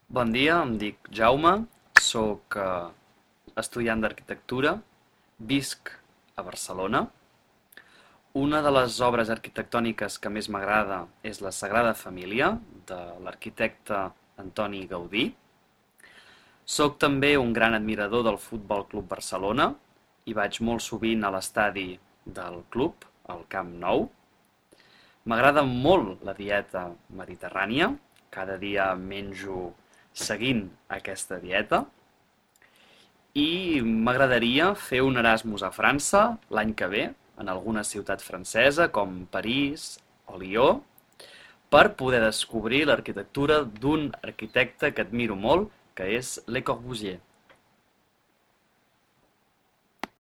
Bon dia, em dic Jaume, soc estudiant d'arquitectura, visc a Barcelona. Una de les obres arquitectòniques que més m'agrada és la Sagrada Família, de l'arquitecte Antoni Gaudí. Soc també un gran admirador del Futbol Club Barcelona i vaig molt sovint a l'estadi del club, al Camp Nou. M'agrada molt la dieta mediterrània, cada dia menjo seguint aquesta dieta i m'agradaria fer un Erasmus a França l'any que ve, en alguna ciutat francesa com París o Lió, per poder descobrir l'arquitectura d'un arquitecte que admiro molt, que és Le Corbusier.